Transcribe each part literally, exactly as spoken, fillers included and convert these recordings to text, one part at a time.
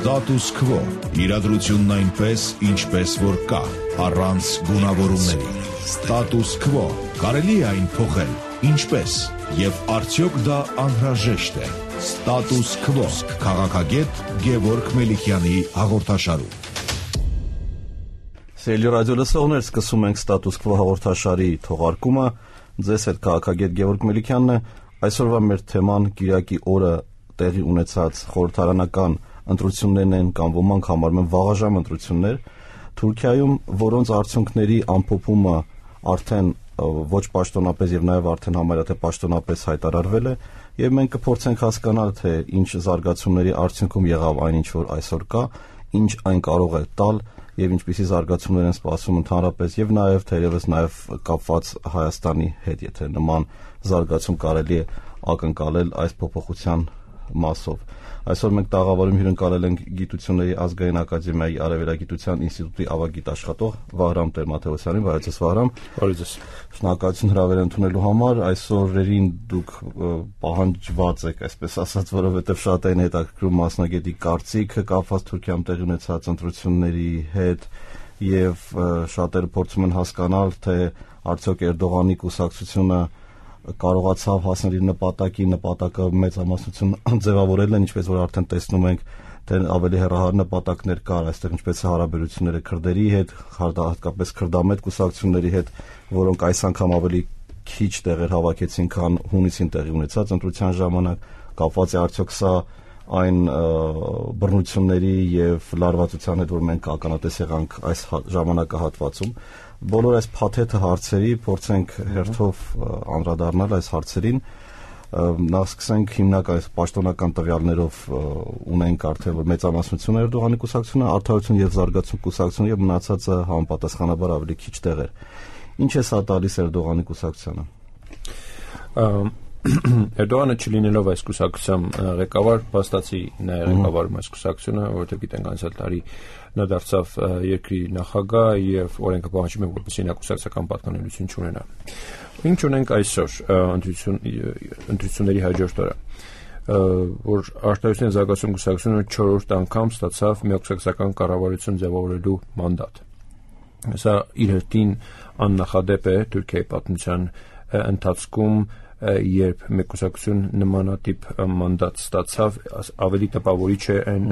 Status quo. Իրադրությունն այնպես, ինչպես որ կա, առանց գունավորումների։ Status quo. Կարելի է այն փոխել, ինչպես, եւ արդյոք դա անհրաժեշտ է։ Status quo. Քաղաքագետ Գևորգ Մելիքյանի հաղորդաշարում։ Սիրելի ռադիո լսողներ, սկսում ենք Status quo հաղորդաշարի թողարկումը։ Ձեզ հետ քաղաքագետ Գևորգ Մելիքյանն է։ Այսօրվա մեր թեման Կիրակի օրը տեղի ունեցած խորհրդարանական ընտրություններն են կամ ոմանք համարում են վաղաժամ ընտրություններ Թուրքիայում, որոնց արդյունքների ամփոփումը արդեն ոչ պաշտոնապես եւ նաեւ արդեն համարյա թե պաշտոնապես հայտարարվել է, եւ մենք կփորձենք հասկանալ, թե ինչ զարգացումների արդյունքում եղավ այն, ինչ որ այսօր կա, ինչ այն կարող է տալ եւ ինչպիսի զարգացումներ են սպասում ընդհանրապես եւ նաեւ թերևս նաեւ կապված Հայաստանի հետ, եթե նման զարգացում կարելի է ակնկալել այս փոփոխության մասով։ Այսօր մենք տաղավարում հյուրընկալել ենք Գիտությունների ազգային ակադեմիայի Արևելագիտության ինստիտուտի ավագիտ աշխատող Վահրամ Տեր-Մաթեոսյանին, բարեձեզ Վահրամ։ Բարեձեզ։ Շնորհակալություն հրավեր ընդունելու համար։ Այսօրերին դուք պահանջված եք, այսպես ասած, որովհետև շատ են հետաքրքրում մասնագետի կարծիքը կապված Թուրքիայում տեղի ունեցած ընտրությունների հետ եւ շատերը փորձում են հասկանալ, թե արդյոք Էրդողանի կուսակցությունը կարողացավ հասնել իր նպատակի, նպատակը մեծամասնություն ձևավորել են, ինչպես որ արդեն տեսնում ենք, թե ավելի հեռահար նպատակներ կար այստեղ, ինչպես է հարաբերությունները քրդերի հետ, հատկապես քրդամետ կուսակցությունների հետ, որոնք այս անգամ ավելի քիչ տեղեր հավաքեցին, քան հունիսին տեղի ունեցած ընտրության ժամանակ, կապված է արդյոք սա այն բռնությունների եւ լարվածության հետ, որ մենք ականատես եղանք այս ժամանակահատվածում։ Բոլոր այս փաթեթը հարցերի փորձենք հերթով անդրադառնալ այս հարցերին։ Նախ սկսենք հիմնական պաշտոնական տվյալներով ունենք արդեն որ մեծամասնություն Էրդողանի կուսակցությունը, Արդարություն եւ Զարգացում կուսակցությունը եւ մնացածը համապատասխանաբար ավելի քիչ տեղեր։ Ինչ է սա տալիս Էրդողանի կուսակցությանը։ Էրդողանը չլինելով այս կուսակցության ղեկավար, փաստացի նա է ղեկավարում այս կուսակցությունը, որովհետև գիտենք անցյալ տարի նա դարձավ երկրի նախագահ եւ օրենքը պահանջում է, որպեսզի նա կուսակցական պատկանելություն չունենա։ Ինչ ունենք այսօր ընտրություն ընտրությունների հաջորդ օրը, որ Արդարություն եւ Զարգացում կուսակցությունը չորրորդ անգամ ստացավ մի կուսակցական կառավարություն ձևավորելու մանդատ։ Սա իր հերթին աննախադեպ է Թուրքիայի պատմության ընթացքում, երբ մեկ կուսակցություն նմանատիպ մանդատ ստացավ, ավելի տպավորիչ է այն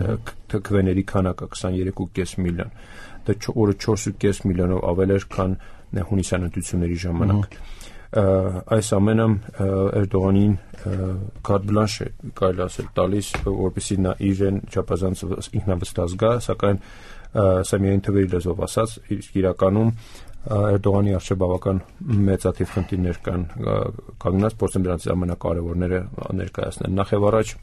քվեների քանակը քսաներեք կόμμα պենս միլիոն, դա օրը չորս կόμma պենս միլիոնով ավել էր, քան հունիսյան ընտրությունների ժամանակ։ Այս ամենը Էրդողանին կարտ բլանշ է, կարելի ասել, տալիս, որպեսզի նա իրեն չափազանց ինքնավստահ զգա, սակայն սա միայն թվերի լեզվով ասած, իրականում Էրդողանի առջև բավական մեծաթիվ խնդիրներ կան կանգնած, փորձեմ դրանցից ամենակարևորները ներկայացնել։ Նախ եւ առաջ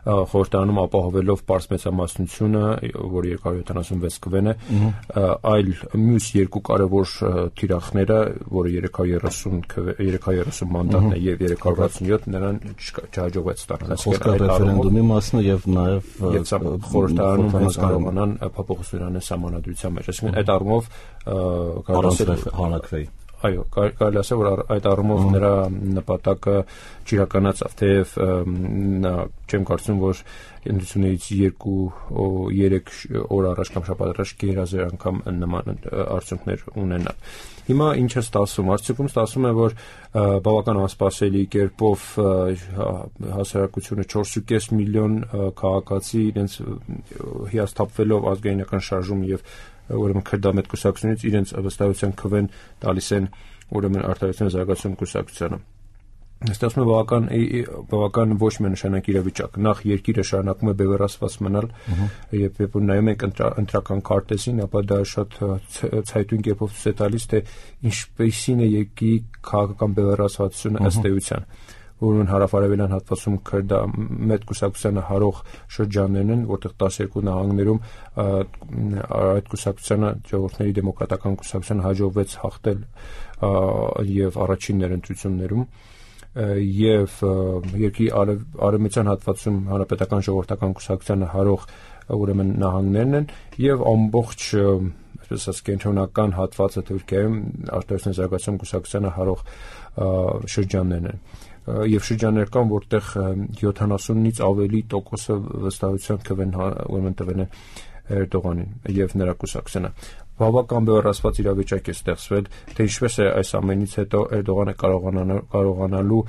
խորհրդարանում ապահովելով պարզ մեծամասնությունը, որ երկու հարյուր յոթանասունվեց քվեն է, այլ մյուս երկու կարևոր թիրախները, որը երեք հարյուր երեսուն մանդատն է եւ երեք հարյուր վաթսունյոթ, նրան չհաջողվեց ստանալ։ Խոսքը ռեֆերենդումի մասն է եւ նաեւ խորհրդարանում հենց կարողանան փոփոխություններ անել սահմանադրության մեջ, այսինքն այդ առումով կարելի է հանրակրեի։ Այո, կարելի ասել, որ այդ առումով նրա նպատակը չիրականացավ, թեև նա չեմ կարծում, որ ընտրություններից երկու երեք օր առաջ կամ շաբաթ առաջ գերազեր անգամ նման արդյունքներ ունենա։ Հիմա ինչ է ստացվում, արդյունքում ստացվում է, որ բավական անսպասելի կերպով հասարակությունը չորս կόμma պենս միլիոն քաղաքացի իրենց հիասթափվելով ազգայնական շարժում եւ ուրեմն քրդամետ կուսակցությունից իրենց վստահության քվեն տալիս են ուրեմն Արդարություն եւ Զարգացում կուսակցությանը։ Ստացվում է բավական բավական ոչ միանշանակ իրավիճակ։ Նախ երկիրը շարունակում է բևեռացված մնալ, եւ երբ նայում ենք ընտրական քարտեզին, ապա դա շատ ցայտուն կերպով ցույց է տալիս, թե ինչպեսին է երկրի քաղաքական բևեռացվածությունը ըստ էության, որոնց հարավարևելյան հատվածում քրդամետ կուսակցությանը հարող շրջաններն են, որտեղ տասներկու նահանգներում այդ կուսակցությանը ժողովրդների դեմոկրատական կուսակցությանը հաջողվեց հաղթել եւ առաջին ընտրություններում եւ երկրի արևմտյան հատվածում հանրապետական ժողովրդական կուսակցությանը հարող ուրեմն նահանգներն են եւ ամբողջ այսպես ասած կենտրոնական հատվածը Թուրքիայում Արդարություն Զարգացում կուսակցությանը հարող շրջաններն են։ եւ շրջաններ կան, որտեղ յոթանասունից ավելի տոկոսը վստահության կվեն ուրեմն տվեն Էրդողանին եւ նրա կուսակցությանը։ Բավական բևեռացված իրավիճակ է ստեղծվել, թե ինչպես է այս ամենից հետո Էրդողանը կարողանալու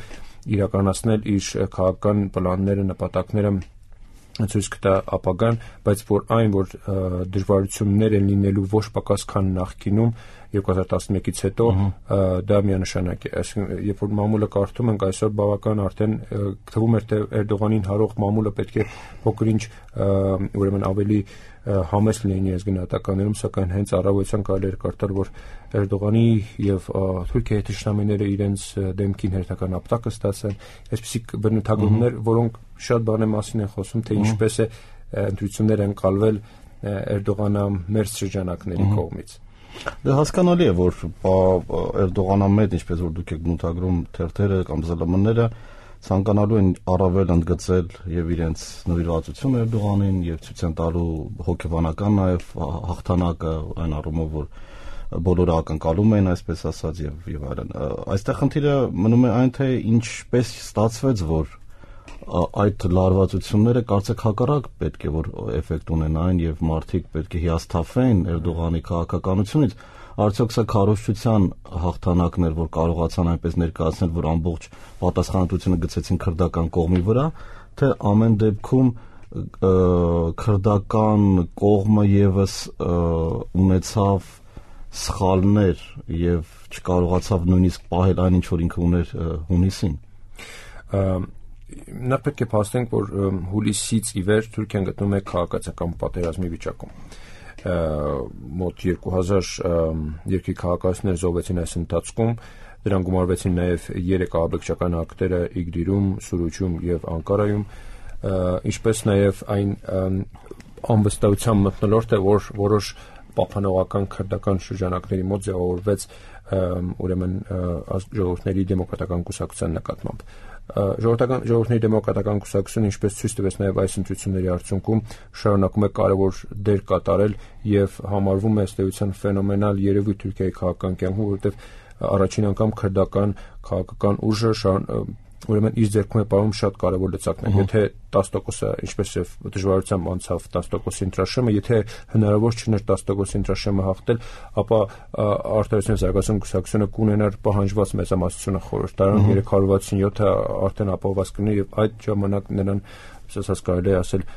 իրականացնել իր քաղաքական պլանները, նպատակները ցույց կտա ապագան, բայց որ այն, որ դժվարություններ են լինելու ոչ պակաս քան նախկինում երկու հազար տասնմեկից հետո, դա միանշանակ է։ Այսինքն, երբ որ մամուլը կարդում ենք այսօր, բավական արդեն թվում էր, թե Էրդողանին հարող մամուլը պետք է փոքր-ինչ ուրեմն ավելի համեստ լինի այս գնահատականներում, սակայն հենց առավոտյան կարելի էր կարդալ, որ Էրդողանի եւ Թուրքիայի թշնամիները իրենց դեմքին հերթական ապտակը ստացան, այսպիսի բնութագրումներ, որոնք շատ բաներ մասին են խոսում, թե ինչպես է ընտրություններ են կալվել Էրդողանամերձ շրջանակների կողմից։ Դե հասկանալի է, որ Էրդողանամետ, ինչպես որ դուք եք բնութագրում թերթերը կամ զլ էմ-ները, ցանկանալու են առավել ընդգծել եւ իրենց նվիրվածությունը Էրդողանին եւ ցույց են տալու հոգեբանական նաեւ հաղթանակը այն առումով, որ բոլորը ակնկալում են, այսպես ասած, եւ եւ այլն։ Այստեղ խնդիրը մնում է այն, թե ինչպես ստացվեց, որ այդ լարվածությունները կարծեք հակառակ պետք է որ էֆեկտ ունենային եւ մարդիկ պետք է հիասթափվեն Էրդողանի քաղաքականությունից, արդյոք սա քարոզչության հաղթանակն էր, որ կարողացան այնպես ներկայացնել, որ ամբողջ պատասխանատվությունը գցեցին քրդական կողմի վրա, թե ամեն դեպքում քրդական կողմը եւս ունեցավ սխալներ եւ չկարողացավ նույնիսկ պահել այն, ինչ որ ինքը ուներ հունիսին։ Նա պետք է փաստենք, որ հուլիսից ի վեր Թուրքիան գտնվում է քաղաքացիական պատերազմի վիճակում։ Մոտ երկու հազար երկրի քաղաքացիներ զոհվեցին այս ընթացքում, դրան գումարվեցին նաև երեք ահաբեկչական ակտերը Իգդիրում, Սուրուչում եւ Անկարայում, ինչպես նաև այն անվստահության մթնոլորտ է, որ որոշ պահպանողական քրդական շրջանակների մոտ ձևավորվեց ուրեմն ժողովուրդների դեմոկրատական կուսակցության նկատմամբ։ Ժողովրդական ժողովրդների դեմոկրատական կուսակցությունը, ինչպես ցույց տվեց նաև այս ընտրությունների արդյունքում, շարունակում է կարևոր դեր կատարել եւ համարվում է ըստ էության ֆենոմենալ երևույթ Թուրքիայի քաղաքական կյանքում, որովհետեւ առաջին անգամ քրդական քաղաքական ուժը ուրեմն իր ձեռքում է պահում շատ կարևոր լծակներ։ Եթե տասը տոկոսը, ինչպես եւ դժվարությամբ անցավ տասը տոկոսի ընտրաշեմը, եթե հնարավոր չէր տասը տոկոսի ընտրաշեմը հաղթել, ապա Արտադրության զարգացում կուսակցությունը կունենար պահանջված մեծամասնությունը խորհրդարան երեք հարյուր վաթսունյոթը արդեն ապահովված կլիներ եւ այդ ժամանակ նրան, ասած կարելի է ասել,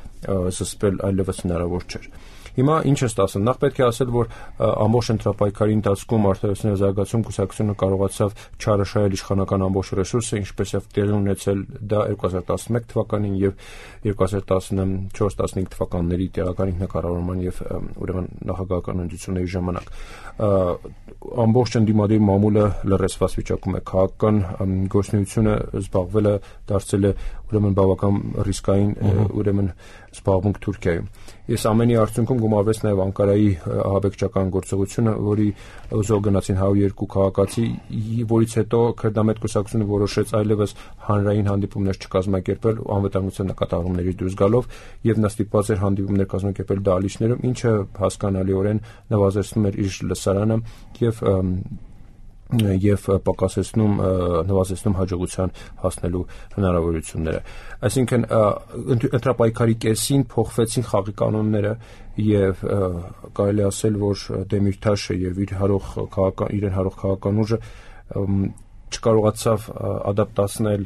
զսպել այլևս հնարավոր չէր։ Հիմա ինչ է ստացվում։ Նախ պետք է ասել, որ ամբողջ ընտրապայքարի ընթացքում Արտադրության զարգացում կուսակցությունը կարողացավ չարաշահել իշխանական ամբողջ ռեսուրսը, ինչպես եւ տեղի ունեցել դա երկու հազար տասնմեկ թվականին եւ երկու հազար տասնչորս տասնհինգ թվականների տեղական ինքնակառավարման եւ ուրեմն նախագահական ընտրությունների ժամանակ։ Ամբողջ ընդդիմադիր մամուլը լրացված վիճակում է, քաղաքական գործունեությունը զբաղվելը դարձել է ուրեմն բավական ռիսկային ուրեմն զբաղմունք Թուրքիայում։ Ես ամենի արդյունքում գումարվեց նաև Անկարայի ահաբեկչական գործողությունը, որի զոհ գնացին հարյուր երկու քաղաքացի, որից հետո քրդամետ կուսակցությունը որոշեց այլևս հանրային հանդիպումներ չկազմակերպել անվտանգության նկատառումների դուրս գալով եւ նա ստիպված էր հանդիպումներ կազմակերպել դահլիճներում, ինչը հասկանալիորեն նվազեցնում էր իր լսարանը եւ եւ պակասեցնում նվազեցնում հաջողության հասնելու հնարավորությունները։ Այսինքն ընտրապայքարի կեսին փոխվեցին խաղի կանոնները եւ կարելի ասել, որ Դեմիրտաշը եւ իր հարող քաղաքական իրեն հարող քաղաքական ուժը չկարողացավ ադապտացնել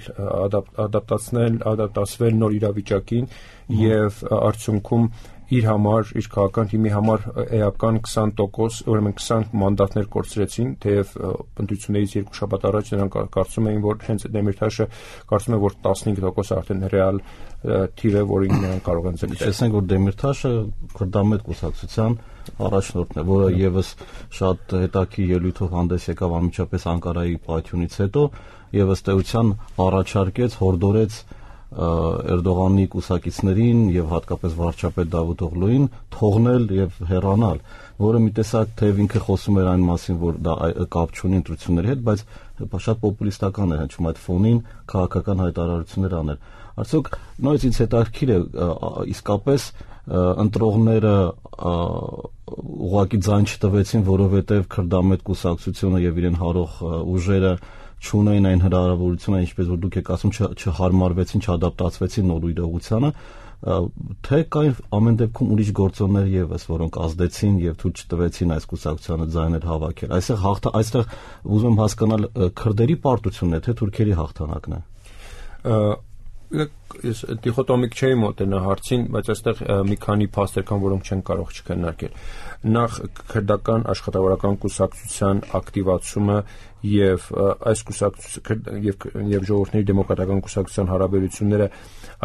ադապտացնել ադապտացվել նոր իրավիճակին եւ արդյունքում իր համար, իր քաղաքական թիմի համար էական քսան տոկոս, ուրեմն քսան մանդատներ կորցրեցին, թեև ընտրություններից երկու շաբաթ առաջ նրանք կարծում էին, որ հենց Դեմիրտաշը կարծում է, որ տասնհինգ տոկոս արդեն ռեալ թիվ է, որին նրանք կարող են ձգտել։ Տեսնենք, որ Դեմիրտաշը քրդամետ կուսակցության առաջնորդն է, որը եւս շատ հետաքրքիր ելույթով հանդես եկավ անմիջապես Անկարայի պայթյունից հետո եւ ըստ էության առաջարկեց, հորդորեց Էրդողանի կուսակիցներին եւ հատկապես վարչապետ Դավութ Օղլուին թողնել եւ հեռանալ, որը մի տեսակ թեև ինքը խոսում էր այն մասին, որ դա կապ չունի ընտրությունների հետ, բայց շատ պոպուլիստական էր հնչում այդ ֆոնին քաղաքական հայտարարություններ անել։ Արդյոք նույնիսկ ինձ հետաքրքիր է իսկապես ընտրողները ուղղակի ձայն չտվեցին, որովհետեւ քրդամետ կուսակցությունը եւ իրեն հարող ուժերը չունեին այն հնարավորությունը, ինչպես որ դուք եք ասում, չհարմարվեցին, չադապտացվեցին նոր իրողությանը, թե կային ամեն դեպքում ուրիշ գործոններ եւս, որոնք ազդեցին եւ թույլ չտվեցին այս կուսակցությանը ձայներ հավաքել։ Այստեղ հաղթ այստեղ ուզում եմ հասկանալ քրդերի պարտությունն է, թե թուրքերի հաղթանակն է։ Ես դիխոտոմիկ չէի մոտենա հարցին, բայց այստեղ մի քանի փաստեր կան, որոնք չեն կարող չքննարկել։ Նախ քրդական աշխատավորական կուսակցության ակտիվացումը եւ այս կուսակցության եւ եւ ժողովրդների դեմոկրատական կուսակցության հարաբերությունները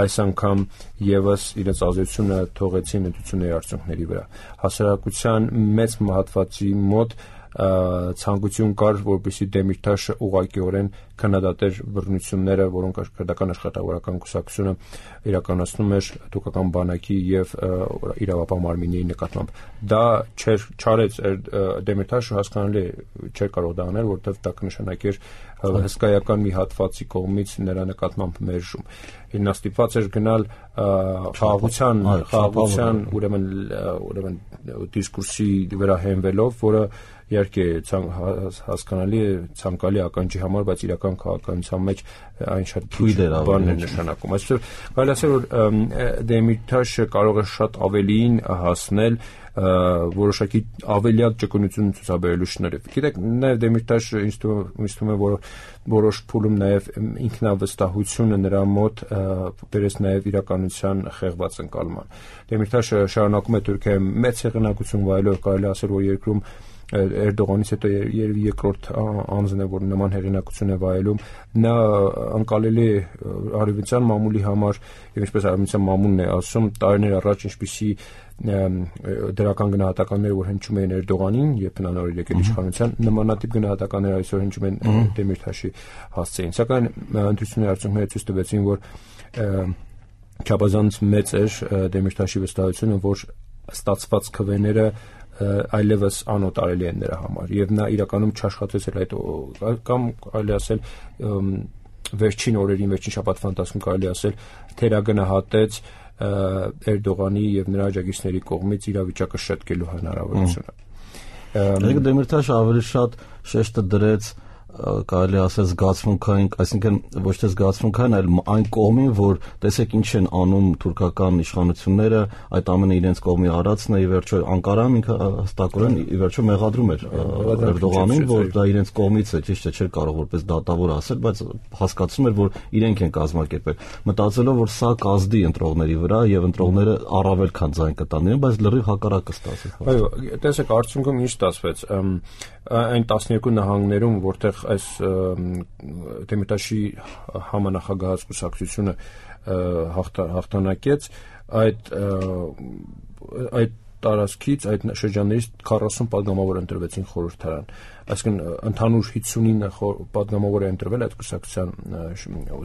այս անգամ եւս իրենց ազդեցությունը թողեցին ընտրությունների արդյունքների վրա։ Հասարակության մեծ մահատվածի մոտ ցանկություն կար, որպեսզի Դեմիրտաշը ուղղակիորեն քննադատեր բռնությունները, որոնք քրդական աշխատավորական կուսակցությունը իրականացնում էր թուրքական բանակի եւ իրավապահ մարմինների նկատմամբ։ Դա չէր չարեց Դեմիրտաշը, հասկանալի չէր կարող դա անել, որովհետեւ դա կնշանակեր հսկայական մի հատվածի կողմից նրա նկատմամբ մերժում։ Նա ստիպված էր գնալ խաղաղության, խաղաղության, ուրեմն ուրեմն դիսկուրսի վրա հենվելով, որը իհարկե հասկանալի է ցանկալի ականջի համար, բայց իրական քաղաքականության մեջ այն շատ քիչ բան է նշանակում։ Այսինքն կարելի ասել, որ Դեմիրտաշը կարող է շատ ավելիին հասնել որոշակի ավելյալ ճկունություն ցուցաբերելու շնորհիվ։ Գիտեք, նաև Դեմիրտաշը ինձ թվում է, որ որոշ փուլում նաև ինքնավստահությունը նրա մոտ բերեց նաև իրականության խեղված ընկալման։ Դեմիրտաշը շարունակում է Թուրքիայում մեծ հեղինակություն վայելել, կարելի ասել, որ երկրում Էրդողանից հետո երևի երկրորդ անձն է, որ նման հեղինակություն է վայելում։ Նա անկալելի արևմտյան մամուլի համար եւ ինչպես արևմտյան մամուլն է ասում, տարիներ առաջ ինչպիսի դրական գնահատականներ, որ հնչում էին Էրդողանին, երբ նա նոր եկել իշխանության, նմանատիպ գնահատականներ այսօր հնչում են Դեմիրտաշի հասցեին։ Սակայն ընտրությունների արդյունքները ցույց տվեցին, որ չափազանց մեծ էր Դեմիրտաշի վստահությունը, որ ստացված քվեները այլևս անօտարելի են նրա համար եւ նա իրականում չաշխատեց էլ այդ կամ կարելի ասել վերջին օրերին, վերջին շաբաթվա ընթացքում կարելի ասել թերագնահատեց Էրդողանի եւ նրա աջակիցների կողմից իրավիճակը շտկելու հնարավորությունը։ Դե Դեմիրտաշը ավելի շատ շեշտը դրեց կարելի ասել զգացմունքային, այսինքն ոչ թե զգացմունքային, այլ այն կողմին, որ տեսեք ինչ են անում թուրքական իշխանությունները, այդ ամենը իրենց կողմի արածն է, ի վերջո Անկարան ինքը հստակորեն ի վերջո մեղադրում էր Էրդողանին, որ դա իրենց կողմից է, ճիշտ է, չէր կարող որպես դատավոր ասել, բայց հասկացում էր, որ իրենք են կազմակերպել, մտածելով, որ սա կազդի ընտրողների վրա եւ ընտրողները առավել քան ձայն կտան իրեն, բայց լրիվ հակառակը ստացվեց։ Այո, տեսեք, արդյունքում ինչ ստացվեց, այն տասներկու նահանգներում, որտեղ այս Դեմիրտաշի համանախագահած կուսակցությունը հաղթանակեց, այդ այդ տարածքից, այդ շրջաններից քառասուն պատգամավոր ընտրվեցին խորհրդարան։ Այսինքն ընդհանուր հինգսունինը պատգամավոր է ընտրվել այդ կուսակցության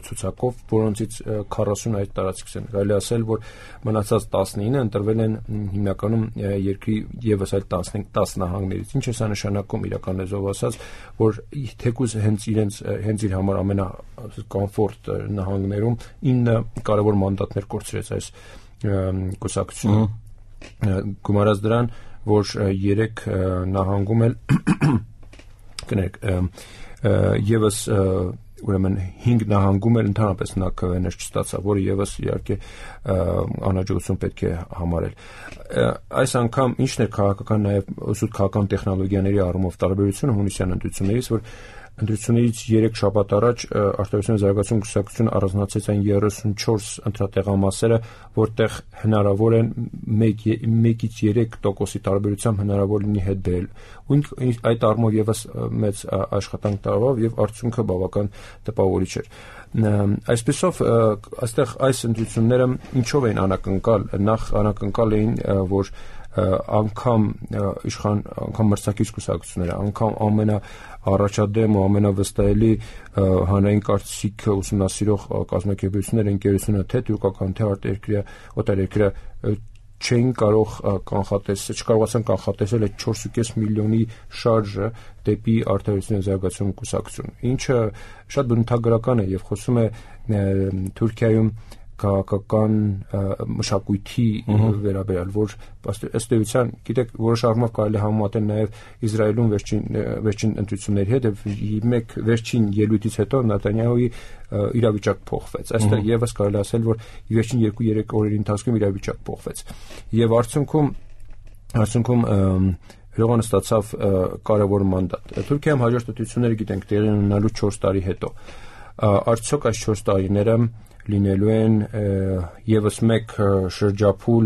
ցուցակով, որոնցից քառասունը այդ տարածքից են։ Կարելի ասել, որ մնացած տասնինը ընտրվել են հիմնականում երկրի եւս այլ տասնհինգ տասը նահանգներից։ Ինչ է սա նշանակում իրական լեզվով ասած, որ թեկուզ հենց իրենց հենց իր համար ամենակոմֆորտ նահանգներում ինը կարևոր մանդատներ կորցրեց այս կուսակցությունը։ Գումարած դրան, որ երեք նահանգում էլ կներեք եւս ուրեմն հինգ նահանգում էլ ընդհանրապես նա քվեներ չստացավ, որը եւս իհարկե անհաջողություն պետք է համարել։ Այս անգամ ինչն է քաղաքական նաեւ ուսուտ քաղաքական տեխնոլոգիաների առումով տարբերությունը հունիսյան ընտրություններից, որ ընտրություններից երեք շաբաթ առաջ Արտադրության զարգացում կուսակցությունը առանձնացրեց այն երեսունչորս ընտրատեղամասերը, որտեղ հնարավոր են մեկից երեք տոկոսի տարբերությամբ հնարավոր լինի հետ բերել։ Ու այդ առումով եւս մեծ աշխատանք տարավ եւ արդյունքը բավական տպավորիչ էր։ Այսպեսով այստեղ այս ընտրությունները ինչով էին անակնկալ, նախ անակնկալ էին, որ անգամ իշխան անգամ մրցակից կուսակցությունները, անգամ ամենաառաջադեմ ու ամենավստահելի հանրային կարծիքը ուսումնասիրող կազմակերպությունները, ընկերությունը, թե թուրքական, թե արտերկրյա, օտարերկրյա չէին կարող կանխատեսել, չկարողացան կանխատեսել այդ չորս ու կես միլիոնի շարժը դեպի Արտադրության զարգացում կուսակցություն, ինչը շատ բնութագրական է եւ խոսում է Թուրքիայում քաղաքական մշակույթի վերաբերյալ, որ ըստ էության, գիտեք, որոշ առումով կարելի է համեմատել նաև Իսրայելում վերջին վերջին ընտրությունների հետ, եւ մեկ վերջին ելույթից հետո Նեթանյահուի իրավիճակ փոխվեց։ Այստեղ եւս կարելի ասել, որ վերջին երկու-երեք օրերի ընթացքում իրավիճակ փոխվեց։ Եվ արդյունքում արդյունքում Էրդողանը ստացավ կարևոր մանդատ։ Թուրքիայում հաջորդ ընտրությունները գիտենք տեղի ունենալու չորս տարի հետո։ Արդյոք այս չորս տարիները լինելու են եւս մեկ շրջափուլ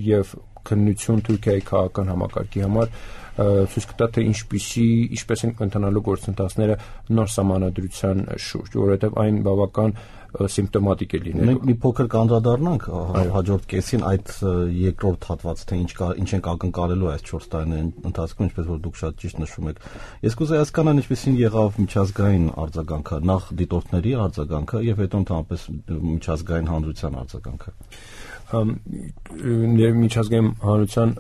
եւ քննություն Թուրքիայի քաղաքական համակարգի համար, ցույց կտա թե ինչպիսի ինչպես են ընթանալու գործընթացները նոր սահմանադրության շուրջ, որովհետեւ այն բավական սիմպտոմատիկ է լինելու։ Մենք մի փոքր կանդրադառնանք հաջորդ կեսին այդ երկրորդ հատված, թե ինչ կա, ինչ ենք ակնկալելու այս չորս տարիների ընթացքում, ինչպես որ դուք շատ ճիշտ նշում եք։ Ես կուզեի հասկանալ ինչպեսին եղավ միջազգային արձագանքը, նախ դիտորդների արձագանքը եւ հետո ընդհանրապես միջազգային հանրության արձագանքը։ Միջազգային հանրության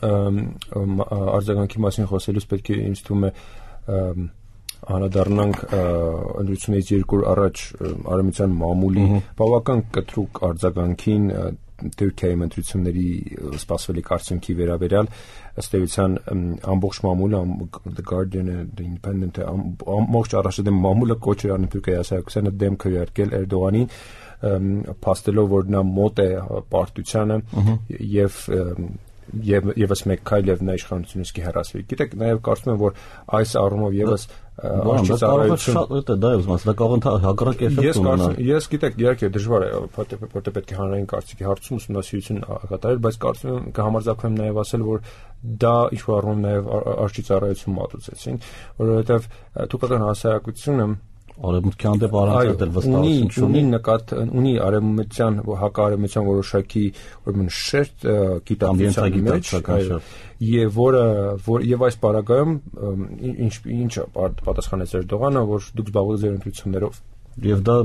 արձագանքի մասին խոսելուց պետք է ինձ թվում է անդրադառնանք ընտրությունից երկու օր առաջ արևմտյան մամուլի բավական կտրուկ արձագանքին Թուրքիայի ընտրությունների սպասվելիք արդյունքի վերաբերյալ, ըստ էության ամբողջ մամուլը, The Guardian, The Independent, ամբողջ առաջադեմ մամուլը կոչ էր անում Թուրքիայի հասարակությանը դեմ քվեարկել Էրդողանին, փաստելով որ նա մոտ է պարտությանը եւ եւ եւս մեկ քայլ եւ նա իշխանությունից կհեռացվի։ Գիտեք, նաեւ կարծում եմ, որ այս առումով եւս արժանացություն դա է ուզում ասել, դա կարող է հակառակ էֆեկտ ունենալ։ Ես գիտեք, իհարկե դժվար է, որտեղ պետք է հանրային կարծիքի հարցում ուսումնասիրություն կատարել, բայց կարծում եմ կհամարձակվեմ նաեւ ասել, որ դա ինչ-որ առումով նաեւ արժի ծառայություն մատուցեցին, որովհետեւ թուրքական հասարակությունը արևմուտքի հանդեպ առանցել վստահություն չունի, ունի նկատ ունի արևմտյան հակարևմտյան որոշակի ուրեմն շերտ գիտակցության մեջ, եւ որը եւ այս պարագայում ինչ ինչ պատասխանեց Էրդողանը, որ դուք զբաղվեք ձեր ընտրություններով, եւ դա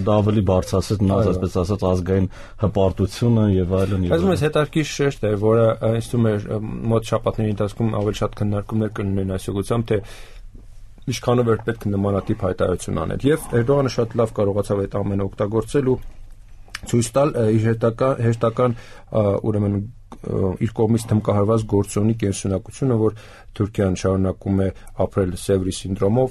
դա ավելի բարձրացեց մնաց այսպես ասած ազգային հպարտությունը եւ այլն եւ այլն։ Այս հետաքրքիր շերտ է, որը ինձ թվում է մոտ շաբաթների ընթացքում ավելի շատ քննարկումներ կունենան այս ուղղությամբ, թե ինչքանով էր պետք նմանատիպ հայտարարություն անել։ Եվ Էրդողանը շատ լավ կարողացավ այդ ամենը օգտագործել ու ցույց տալ իր հետական հերթական ուրեմն իր կողմից թմկահարված գործոնի կենսունակությունը, որ Թուրքիան շարունակում է ապրել Սևրի սինդրոմով,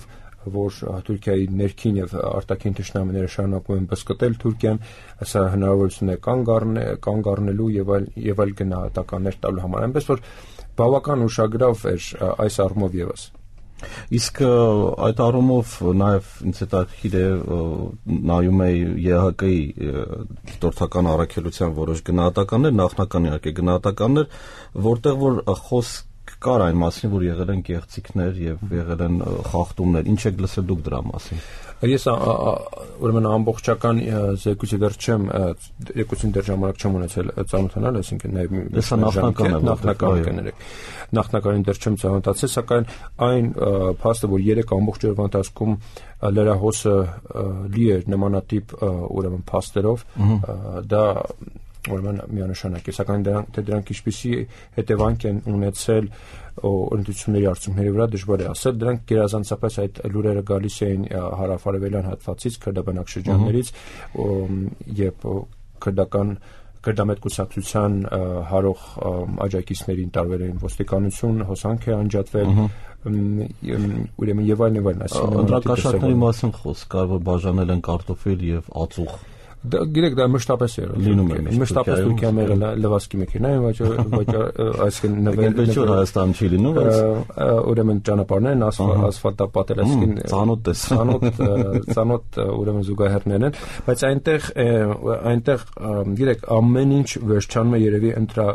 որ Թուրքիայի ներքին եւ արտաքին թշնամիները շարունակում են բսկտել Թուրքիան, սա հնարավորություն է կանգ առնել, կանգ առնելու եւ այլ եւ այլ գնահատականներ տալու համար։ Այնպես որ բավական ուշագրավ էր այս առումով եւս։ Իսկ այդ առումով նաև ինձ հետաքրքիր է նայում է Է Հ Կ-ի դիտորդական առաքելության որոշ գնահատականներ, նախնական իհարկե գնահատականներ, որտեղ որ խոսք կար այն մասին, որ եղել են գեղեցիկներ եւ եղել են խախտումներ։ Ինչ եք լսել դուք դրա մասին։ Ես ուրեմն ամբողջական զեկույցը դեռ չեմ, երկուսին դեռ ժամանակ չեմ ունեցել ծանոթանալ, այսինքն նաև նախնական կներեք։ Նախնականին դեռ չեմ ծանոթացել, սակայն այն փաստը, որ երեք ամբողջ օրվա ընթացքում լրահոսը լի էր նմանատիպ ուրեմն փաստերով, դա ուրեմն միանշանակ է, սակայն դրանք թե դրանք ինչպիսի հետևանք են ունեցել ընտրությունների արդյունքների վրա դժվար է ասել, դրանք գերազանցապես այդ լուրերը գալիս էին հարավարևելյան հատվածից, քրդաբնակ շրջաններից եւ քրդական քրդամետ կուսակցության հարող աջակիցներին տարվել էին ոստիկանություն, հոսանք է անջատվել, ուրեմն եւ այլն եւ այլն, այսինքն ընտրակաշառքների մասին խոսք կար, որ բաժանել են կարտոֆիլ եւ ածուխ։ Գիտեք, դա մշտապես է լինում է, մշտապես Թուրքիայում եղել է լվասկի մեքենա, այսինքն նվեր Հայաստան չի լինում, բայց ուրեմն ճանապարհներն ասֆալտապատել, այսինքն ծանոթ է, ծանոթ ծանոթ ուրեմն զուգահեռներն են, բայց այնտեղ այնտեղ գիտեք, ամեն ինչ վերջանում է երևի ընտրա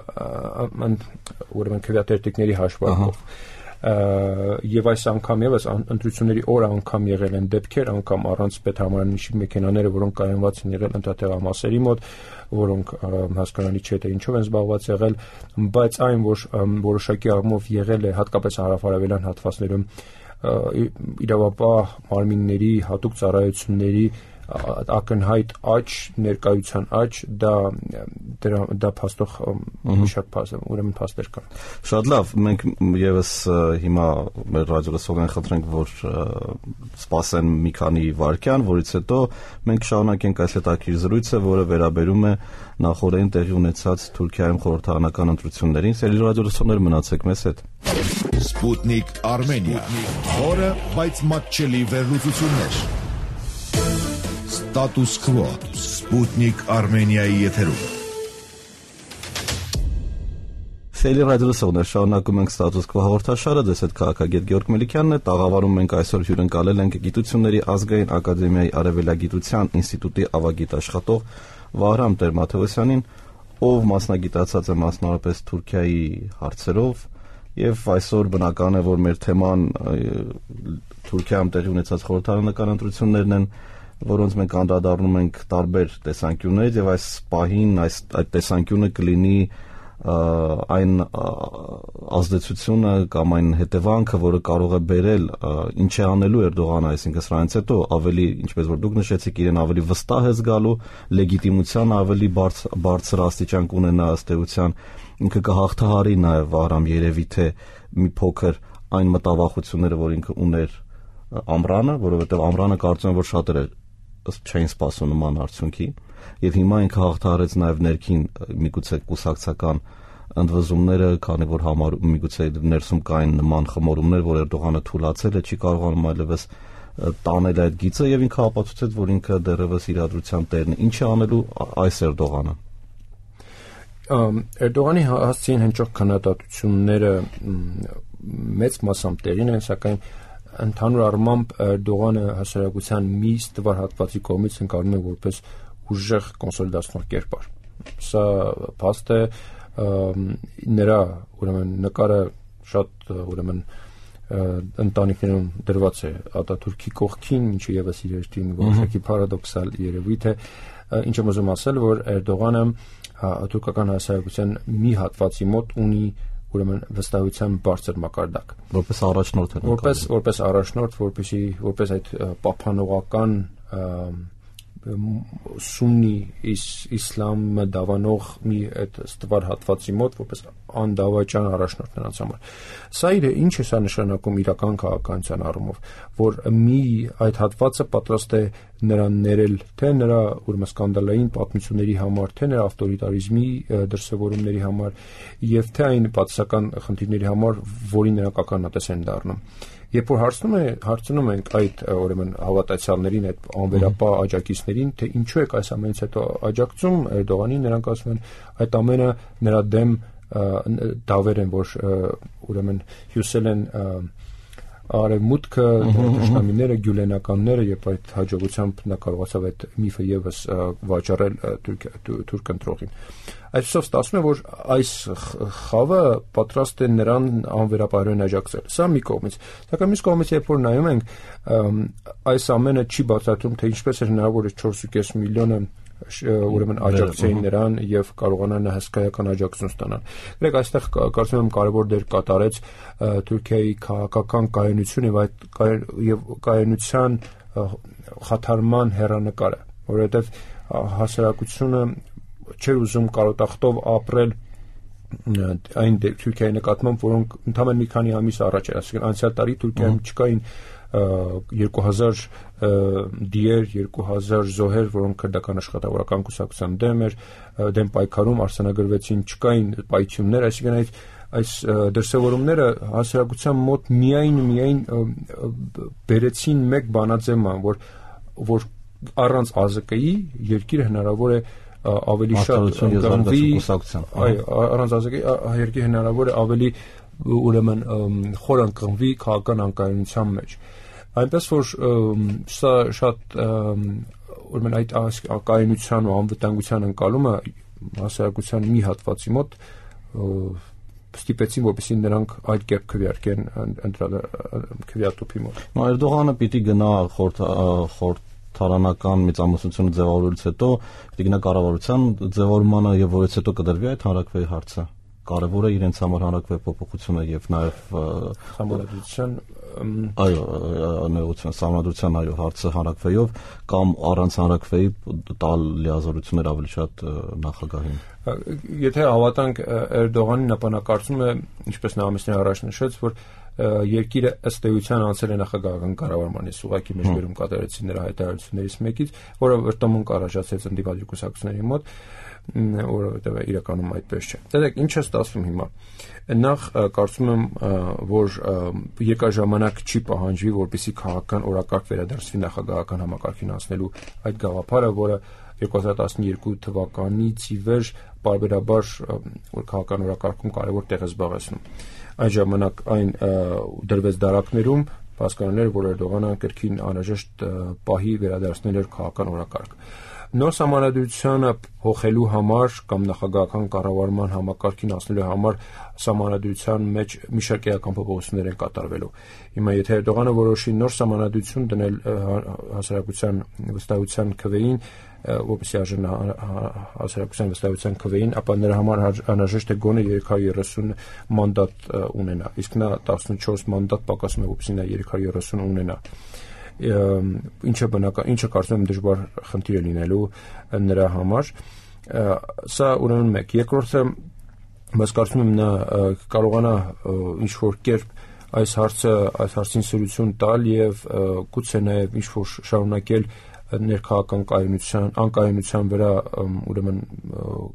ուրեմն քվեատերտիկների հաշվարկով։ Եվ այս անգամ եւս ընտրությունների օր անգամ եղել են դեպքեր, անգամ առանց պետհամարանիշի մեքենաները, որոնք կայանված են եղել ընտրատեղամասերի մոտ, որոնք հասկանալի չէ թե ինչով են զբաղված եղել, բայց այն, որ որոշակի առումով եղել է հատկապես հարավարևելյան հատվածներում իրավապահ մարմինների հատուկ ծառայությունների ակնհայտ աճ, ներկայության աճ, դա դրա դա փաստող մի շատ փաստ, ուրեմն փաստեր կան։ Շատ լավ, մենք եւս հիմա մեր ռադիոլսողին խնդրենք, որ սպասեն մի քանի վայրկյան, որից հետո մենք շարունակենք այս հետաքրքիր զրույցը, որը վերաբերում է նախորդին տեղի ունեցած Թուրքիայում խորհրդարանական ընտրություններին։ Սիրելի ռադիոլսողներ, մնացեք մեզ հետ։ Sputnik Armenia, խորը, բայց մատչելի վերլուծություններ։ Status Quo, Sputnik Armenia-ի եթերում։ Սիրելի ռադիոլսողներ, շարունակում ենք Status Quo հաղորդաշարը, դες հետ քաղաքագետ Գեորգ Մելիքյանն է, տաղավարում ենք այսօր հյուրընկալել ենք Գիտությունների ազգային ակադեմիայի Արևելագիտության ինստիտուտի ավագիտ աշխատող Վահրամ Տեր-Մաթևոսյանին, ով մասնագիտացած է մասնավորապես Թուրքիայի հարցերով, եւ այսօր բնական է, որ մեր թեման Թուրքիայում տեղի ունեցած խորհրդարանական ընտրություններն են, որոնց մենք անդրադառնում ենք տարբեր տեսանկյուններից, եւ այս պահին այս այդ տեսանկյունը կլինի այն ազդեցությունը կամ այն հետևանքը, որը կարող է բերել ինչ է անելու Էրդողանը, այսինքն սրանից հետո ավելի, ինչպես որ դուք նշեցիք, իրեն ավելի վստահ է զգալու, լեգիտիմության ավելի բարձր աստիճան կունենա ըստ էության, ինքը կհաղթահարի նաև Վահրամ երևի թե մի փոքր այն մտավախությունները, որ ինքը ուներ ամռանը, որովհետև ամռանը կարծում եմ, որ շատերը չէին սպասում նման արդյունքի, եւ հիմա ինքը հաղթահարեց նաև ներքին միգուցե կուսակցական ընդվզումները, քանի որ համար միգուցե ներսում կային նման խմորումներ, որ Էրդողանը թույլատրել է, չի կարողանում այլևս տանել այդ գիծը, եւ ինքը ապացուցեց, որ ինքը դեռևս իրադրության տերն է։ Ինչ է անելու այս Էրդողանը։ Էրդողանի հասցեին հնչող քննադատությունները մեծ մասամբ տեղին են, սակայն ընդհանուր առմամբ Էրդողանը հասարակության մի ստվար հատվածի կողմից ընկալվում է որպես ուժեղ կոնսոլիդացնող կերպար։ Սա փաստ է, նրա ուրեմն նկարը շատ ուրեմն ընտանիքներում դրված է Ատաթուրքի կողքին, ինչը եւս իր հեշտին որոշակի պարադոքսալ երևույթ է, ինչ եմ ուզում ասել, որ Էրդողանը թուրքական հասարակության մի հատվածի մոտ ունի ուրեմն վստահության բարձր մակարդակ, որպես առաջնորդ է, որպես որպես առաջնորդ, որպեսի որպես այդ պահպանողական սուննի իսլամը դավանող մի այդ ստվար հատվածի մոտ որպես անդավաճան առաջնորդ նրանց համար։ Սա իր ինչ է սա նշանակում իրական քաղաքականության առումով, որ մի այդ հատվածը պատրաստ է նրան ներել թե նրա ուրեմն սկանդալային պատմությունների համար, թե նրա ավտորիտարիզմի դրսևորումների համար, եւ թե այն պատասական խնդիրների համար, որին նրանք ականատես են դառնում։ Երբ որ հարցնում է հարցնում ենք այդ ուրեմն հավատացյալներին, այդ անվերապահ աջակիցներին, թե ինչու եք այս ամենից հետո աջակցում Էրդողանին, նրանք ասում են այդ ամենը նրա դեմ դավեր են, որ ուրեմն հյուսել են արևմուտքը, դաշնամիները, գյուլենականները, եւ այդ հաջողությամբ նա կարողացավ այդ միֆը եւս վաճառել թուրք ընտրողին։ Այսով ստացվում է, որ այս խավը պատրաստ է նրան անվերապահորեն աջակցել։ Սա մի կողմից, սակայն մյուս կողմից, երբ որ նայում ենք, այս ամենը չի բացատրում, թե ինչպես է հնարավոր է չորս ու կես միլիոնը ուրեմն աջակցեին նրան եւ կարողանան հսկայական աջակցություն ստանալ։ Գրեք, այստեղ կարծում եմ կարևոր դեր կատարեց Թուրքիայի քաղաքական կայունություն եւ այդ եւ կայունության խաթարման հեռանկարը, որովհետեւ հասարակությունը չէր ուզում կարոտախտով ապրել այն Թուրքիայի նկատմամբ, որոնք ընդամենը մի քանի ամիս առաջ էր, այսինքն անցյալ տարի Թուրքիայում չկային երկու հազար դիեր, երկու հազար զոհեր, որոնք քրդական աշխատավորական կուսակցության դեմ էր, դեմ պայքարում արձանագրվեցին, չկային պայթյուններ, այսինքն այդ այս դրսևորումները հասարակության մոտ միայն միայն բերեցին մեկ բանաձևման, որ որ առանց ԱԶԿ-ի երկիրը հնարավոր է ավելի շատ կողմի, այո, առանց ԱԶԿ-ի երկիրը հնարավոր է ավելի ուրեմն խոր անկղմվի քաղաքական անկայունության մեջ։ Այնպես որ սա շատ ուրեմն այդ կայունության ու անվտանգության ընկալումը հասարակության մի հատվածի մոտ ստիպեցին, որպեսզի նրանք այդ կերպ քվեարկեն քվեատուփի մոտ։ Էրդողանը պիտի գնա խորհրդարանական մեծամասնությունը ձևավորելուց հետո պիտի գնա կառավարության ձևավորմանը եւ որից հետո կդրվի այդ հանրաքվեի հարցը։ կարևոր է իրենց համար հանրակրվեի փոփոխությունը եւ նաեւ համալրության այո նեղության համալրության այո հարցը հանրակրվեիով կամ առանց հանրակրվեի տալ լիազորություններ ավելի շատ նախագահին։ Եթե հավատանք Էրդողանին, ապա նա կարծում է, ինչպես նա ամիսներ առաջ նշեց, որ երկիրը ըստ էության անցել է նախագահական կառավարման, ես ուղղակի մեջբերում կատարեցի նրա հայտարարություններից մեկից, որը վրտոմունք առաջացեց ընդդիմադիր կուսակցությունների մոտ, որովհետև իրականում այդպես չէ։ Դեք ինչ է ստացվում հիմա։ Նախ կարծում եմ, որ երկար չի պահանջվի, որպեսզի քաղաքական օրակարգ վերադարձվի նախագահական համակարգին անցնելու այդ գաղափարը, որը երկու հազար տասնյոթ թվականից ի վեր պարբերաբար որ քաղաքական օրակարգում կարևոր տեղ է զբաղեցնում։ Այն ժամանակ այն դրվեց դարակներում, հասկանալի էր, որ Էրդողանը կրկին անհրաժեշտ պահի վերադարձնել էր քաղաքական օրակարգ։ Նոր սահմանադրությանը փոխելու համար կամ նախագահական կառավարման համակարգին անցնելու համար սահմանադրության մեջ մի շարք էական փոփոխություններ են կատարվելու։ Հիմա եթե Էրդողանը որոշի նոր սահմանադրություն դնել հասարակության վստահության քվեին, որպեսզի արժեն հասարակության վստահության քվեին, ապա նրա համար անհրաժեշտ է գոնե երեք հարյուր երեսուն մանդատ ունենա, իսկ նա տասնչորս մանդատ պակասում է, որպեսզի նա երեք հարյուր երեսուն ունենա։ Ինչը բնական, ինչը կարծում եմ դժվար խնդիր է լինելու նրա համար։ Սա ուրեմն մեկ։ Երկրորդը, բայց կարծում եմ նա կարողանա ինչ-որ կերպ այս հարցը, այս հարցին սրություն տալ եւ գուցե նաեւ ինչ-որ շարունակել ներքաղաքական կայունության, անկայունության վրա ուրեմն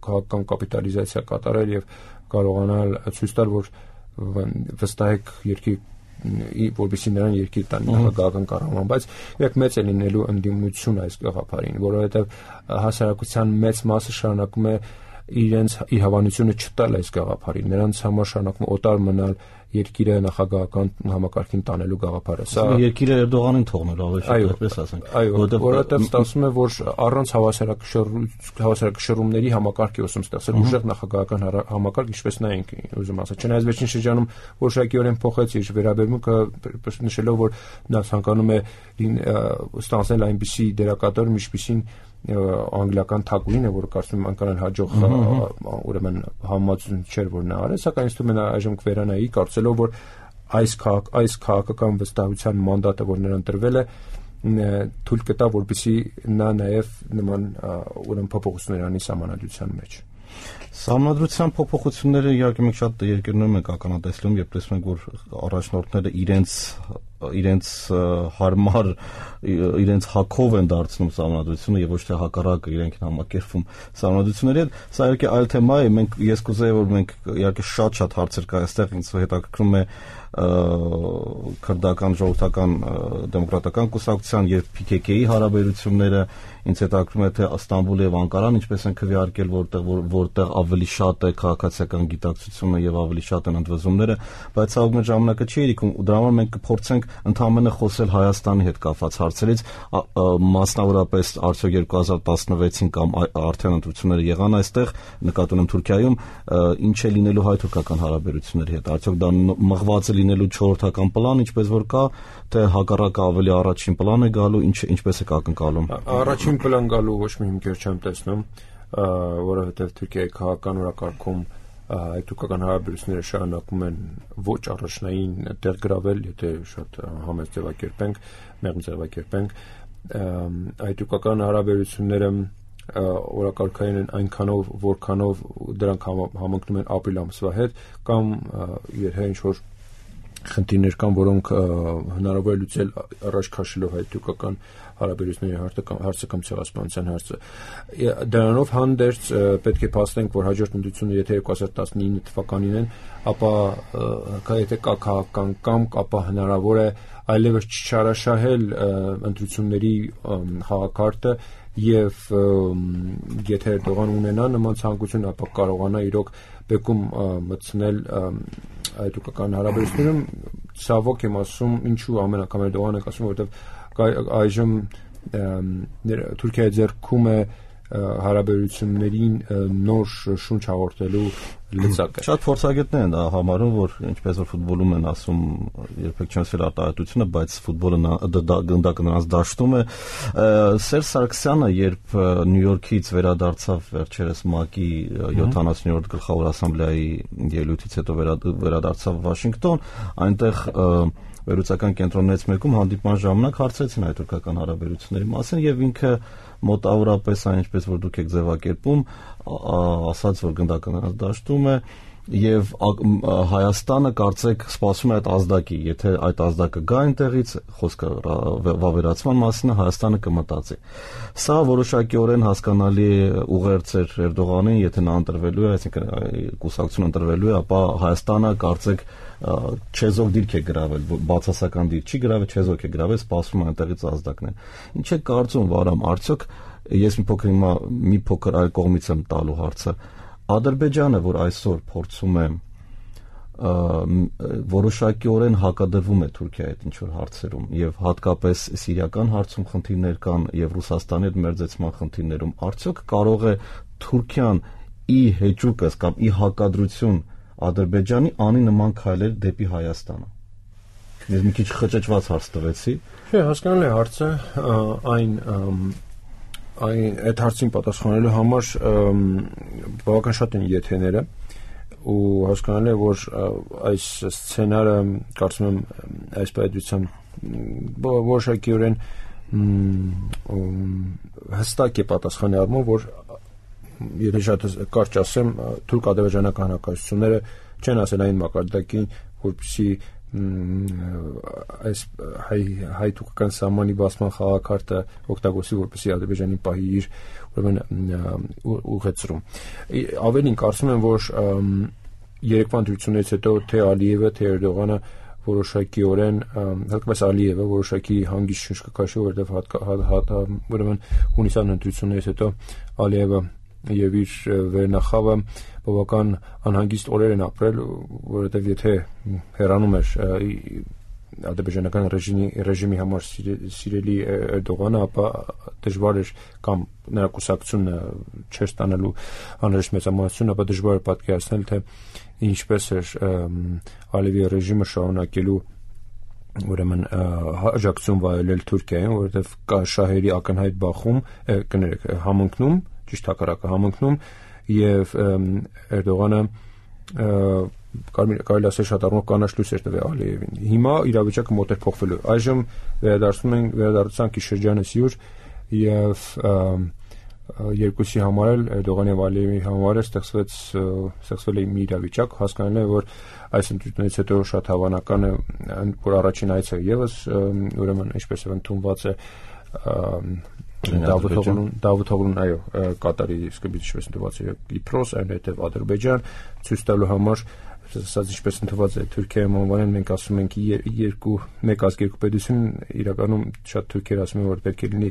քաղաքական կապիտալիզացիա կատարել եւ կարողանալ ցույց տալ, որ վստահեք երկրի որպեսզի նրան երկիր տան նախագահական կառավարման, բայց երբ մեծ է լինելու ընդդիմություն այս գաղափարին, որովհետև հասարակության մեծ մասը շարունակում է իրենց իր հավանությունը չտալ այս գաղափարին, նրանց համար շարունակում օտար մնալ երկիրը նախագահական համակարգին տանելու գաղափարը։ Սա երկիրը Էրդողանին թողնել ավելի շատ, այդպես ասենք։ Այո, որովհետև ստացվում է, որ առանց հավասարակշռումների համակարգ է ուսում ստեղծել ուժեղ նախագահական համակարգ, ինչպես նա ինքը ուզում ասել։ Չնայած վերջին շրջանում որոշակիորեն փոխեց իր վերաբերմունքը, նշելով, որ նա ցանկանում է ստանձնել այնպիսի դերակատար, ինչպիսին անգլիական թագուհին է, որը կարծում եմ անկարան հաջող ուրեմն համացություն չէր, որ նա արել, սակայն ինձ թվում է նա այժմ կվերանայի կարծելով, որ այս քաղաք, այս քաղաքական վստահության մանդատը, որ նրան տրվել է, թույլ կտա, որպեսզի նա նաև նման ուրեմն փոփոխություններ անի սահմանադրության մեջ։ Սահմանադրության փոփոխությունները իհարկե մենք շատ երկրներում ենք ականատեսում, երբ տեսնում ենք, որ առաջնորդները իրենց իրենց հարմար իրենց հակով են դարձնում սահմանադրությունը եւ ոչ թե հակառակը իրենք են համակերպվում սահմանադրությունների հետ։ Սա իհարկե այլ թեմա է, մենք ես կուզեի, որ մենք իհարկե շատ-շատ հարցեր կա այստեղ, ինձ հետաքրքրում է քրդական ժողովրդական դեմոկրատական կուսակցության եւ P K K-ի հարաբերությունները, ինձ հետաքրքրում է թե Ստամբուլը եւ Անկարան ինչպես են քվեարկել, որտեղ որտեղ ավելի շատ է քաղաքացիական գիտակցությունը եւ ավելի շատ են ընդվզումները, բայց ցավոք մեր ժամանակը չի իրիկում, ու դրա համար մենք կփորձենք ընդհանրապես խոսել Հայաստանի հետ կապված հարցերից, մասնավորապես արդյոք երկու հազար տասնվեցին կամ արդեն ընտրությունները եղան այստեղ, նկատի ունեմ Թուրքիայում, ինչ է լինելու հայ-թուրքական հարաբերությունների հետ, արդյոք դա մղված է լինելու չորրորդական պլան, ինչպես որ կա, թե հակառակը ավելի առաջին պլան է գալու, ինչ ինչպես է ակնկալում։ Առաջին պլան գալու ոչ մի հիմքեր չեմ տեսնում, որովհետև Թուրքիայի քաղաքական օրակարգում հայ-թուրքական հարաբերությունները շարունակում են ոչ առաջնային տեղ գրավել, եթե շատ համեստ ձևակերպենք, մեղմ ձևակերպենք, հայ-թուրքական հարաբերությունները օրակարգային են այնքանով, որքանով դրանք համընկնում են ապրիլ ամսվա հետ, կամ եթե ինչ-որ խնդիրներ կան, որոնք հնարավոր է լուծել առաջ քաշելով հայ-թուրքական հարաբերությունների հարցը կամ ցեղասպանության հարցը։ Դրանով հանդերձ պետք է փաստենք, որ հաջորդ ընտրությունը եթե երկու հազար տասնինը թվականին են, ապա եթե կա քաղաքական կամք, ապա հնարավոր է այլևս չչարաշահել ընտրությունների խաղակարգը եւ եթե Էրդողան ունենա նման ցանկություն, ապա կարողանա իրոք բեկում մտցնել հայ-թուրքական հարաբերություններում, ցավոք եմ ասում, ինչու ամեն անգամ Էրդողանը ասում, որովհետեւ այժմ Թուրքիայի ձեռքում է հարաբերություններին նոր շունչ հաղորդելու լծակը։ Շատ փորձագետներ են դա համարում, որ ինչպես որ ֆուտբոլում են ասում, երբեք չեն ասել արտահայտությունը, բայց ֆուտբոլը գնդակը նրանց դաշտում է։ Սերժ Սարգսյանը, երբ Նյու Յորքից վերադարձավ վերջերս ՄԱԿ-ի յոթանասունյոթերորդ գլխավոր ասամբլեայի ելույթից հետո վերադարձավ Վաշինգտոն, այնտեղ վերլուծական կենտրոններից մեկում հանդիպման ժամանակ հարցրեցին հայ-թուրքական հարաբերությունների մասին եւ ինքը մոտավորապես այն ինչպես որ դուք եք ձևակերպում, ասաց որ գնդակը նրանց դաշտում է եւ Հայաստանը կարծեք սպասում է այդ ազդակի, եթե այդ ազդակը գա այնտեղից, խոսքը վավերացման մասին, Հայաստանը կմտածի։ Սա որոշակիորեն հասկանալի ուղերձ էր Էրդողանին, եթե նա ընտրվելու է, այսինքն կուսակցությունը ընտրվելու է, ապա Հայաստանը կարծեք չեզոք դիրք է գրավել, բացասական դիրք չի գրավել, չեզոք է գրավել, սպասում է այնտեղից ազդակներ։ Ինչ է կարծում, Վարամ, արդյոք ես մի փոքր հիմա մի փոքր այլ կողմից եմ տալու հարցը, Ադրբեջանը, որ այսօր փորձում է որոշակիորեն հակադրվում է Թուրքիայի հետ ինչ-որ հարցերում եւ հատկապես սիրիական հարցում խնդիրներ կան եւ Ռուսաստանի հետ մերձեցման խնդիրներում, արդյոք կարող է Թուրքիան ի հեճուկս կամ ի հակադրություն Ադրբեջանի անի նման քայլեր դեպի Հայաստանը։ Ես մի քիչ խճճված հարց տվեցի։ Չէ, հասկանալի հարցը, այն այն այդ հարցին պատասխանելու համար բավական շատ են եթեները ու հասկանալի է, որ այս սցենարը կարծում եմ այս պայծությամբ որոշակիորեն հստակ է պատասխանի առումով, որ եթե շատ կարճ ասեմ, թուրք-ադրբեջանական հակասությունները չեն ասել այն մակարդակին, որպեսզի այս հայ-թուրքական սահմանի բացման խաղակարտը օգտագործի, որպեսզի Ադրբեջանի պահի իր ուրեմն ուղեցրում։ Ավելին կարծում եմ, որ երեկվա ընտրություններից հետո թե Ալիևը, թե Էրդողանը որոշակիորեն, հատկապես Ալիևը որոշակի հանգիստ շունչ կքաշի, որովհետև ուրեմն հունիսյան ընտրություններից հետո Ալիևը եւ իր վերնախավը բավական անհանգիստ օրեր են ապրել, որովհետեւ եթե հեռանում էր ադրբեջանական ռեժիմի ռեժիմի համար սիրելի Էրդողանը, ապա դժվար էր կամ նրա կուսակցությունը չէր ստանալու անհրաժեշտ մեծամասնություն, ապա դժվար էր պատկերացնել, թե ինչպես էր Ալիևի ռեժիմը շարունակելու ուրեմն աջակցություն վայելել Թուրքիային, որովհետեւ կա շահերի ակնհայտ բախում, կներեք, համընկնում, ճիշտ հակառակը համընկնում եւ Էրդողանը կարելի ասել շատ առումով կանաչ լույս էր տվել Ալիևին։ Հիմա իրավիճակը մոտ էր փոխվելու։ Այժմ վերադարձնում ենք վերադարձանքի շրջանը սյուր եւ երկուսի համար էլ Էրդողանի եւ Ալիևի համար ստեղծվեց ստեղծվել է մի իրավիճակ, հասկանալի է, որ այս ընտրությունից հետո շատ հավանական է, որ առաջին այցը եւս ուրեմն ինչպես է ընդունված է Դավութօղլուն, այո, Կատարի սկզբից ինչպես ընդունված է Կիպրոս, այնուհետև Ադրբեջան, ցույց տալու համար, ասած ինչպես ընդունված է Թուրքիայում անվանել, մենք ասում ենք երկու մեկ ազգ երկու պետություն, իրականում շատ թուրքեր ասում են, որ պետք է լինի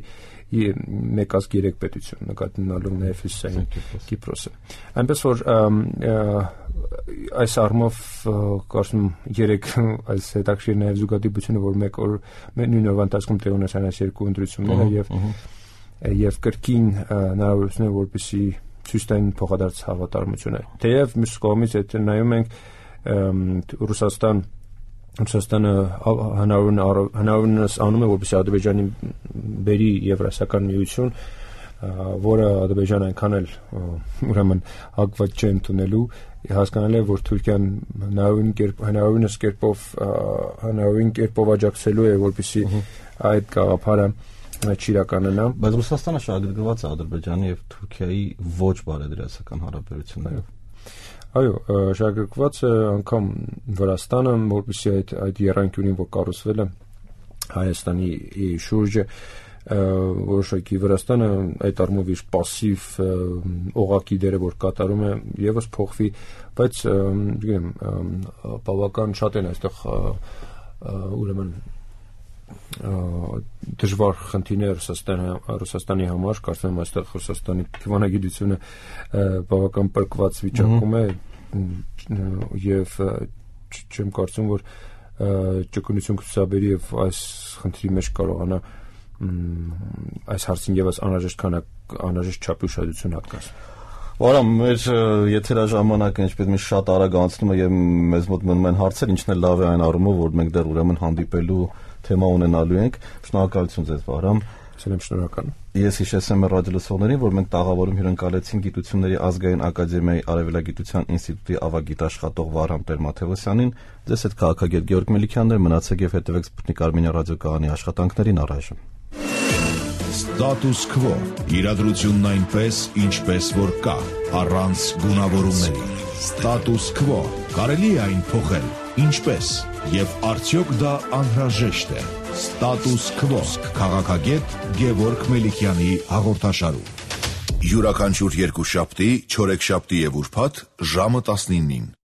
մեկ ազգ երեք պետություն, նկատի ունենալով նաև Հյուսիսային Կիպրոսը։ Այնպես որ այս առումով կարծում երեք այս հետաքրքիր նաև զուգադիպությունը, որ մեկ օր նույն օրվա ընթացքում տեղի ունեցան այս երկու ընտրությունները եւ եւ կրկին հնարավորություններ, որպեսզի ցույց տային փոխադարձ հավատարմությունը։ Թեև մյուս կողմից եթե նայում ենք Ռուսաստան Ռուսաստանը հնարավորինս անում է, որպեսզի Ադրբեջանի բերի Եվրասիական միություն, որը Ադրբեջանը այնքան էլ ուրեմն հակված չէ ընդունելու, հասկանալի է, որ Թուրքիան հնարավորինս կերպով հնարավորին կերպով աջակցելու է, որպեսզի այդ գաղափարը չիրականանա, բայց Ռուսաստանը շահագրգռված է Ադրբեջանի եւ Թուրքիայի ոչ բարեդրացական հարաբերություններով։ Այո, շահագրգռված է անգամ Վրաստանը, որպեսզի այդ այդ եռանկյունին, որ կառուցվել է Հայաստանի շուրջը, որոշակի Վրաստանը այդ առումով իր պասիվ օղակի դերը, որ կատարում է, եւս փոխվի, բայց գիտեմ, բավական շատ են այստեղ ուրեմն դժվար խնդիրներ Ռուսաստանի Ռուսաստանի համար, կարծում եմ այստեղ Ռուսաստանի դիվանագիտությունը բավական պրկված վիճակում է եւ չեմ կարծում, որ ճկունություն կցուցաբերի եւ այս խնդրի մեջ կարողանա այս հարցին եւս անհրաժեշտ քանակ անհրաժեշտ չափի ուշադրություն հատկացնում։ Վարամ, մեր եթերաժամանակը ինչպես մի շատ արագ անցնում է եւ մեզ մոտ մնում են հարցեր, ինչն էլ լավ է այն առումով, որ մենք դեռ ուրեմն հանդիպելու թեմա ունենալու ենք։ Շնորհակալություն ձեզ, Վարամ։ Սիրեմ, շնորհակալ։ Ես հիշեցեմ մեր ռադիոլսողներին, որ մենք տաղավարում հյուրընկալեցին Գիտությունների ազգային ակադեմիայի Արևելագիտության ինստիտուտի ավագիտաշխատող Վարամ Տեր-Մաթևոսյանին։ Ձեզ հետ քաղաքագետ Գեորգ Մելիքյանն էր, մնացեք եւ հետեւեք Սպուտնիկ Արմենիա ռադիոկայանի աշխատանքներին առայժմ։ Ստատուս քվո՝ իրադրությունն այնպես, ինչպես որ կա, առանց գունավորումների։ Ստատուս քվո՝ կարելի է այն փոխել, ինչպես, եւ արդյոք դա անհրաժեշտ է։ Ստատուս քվո քաղաքագետ Գեորգ Մելիքյանի հաղորդաշարում։ Յուրաքանչյուր երկուշաբթի, չորեքշաբթի եւ ուրբաթ ժամը տասնինին։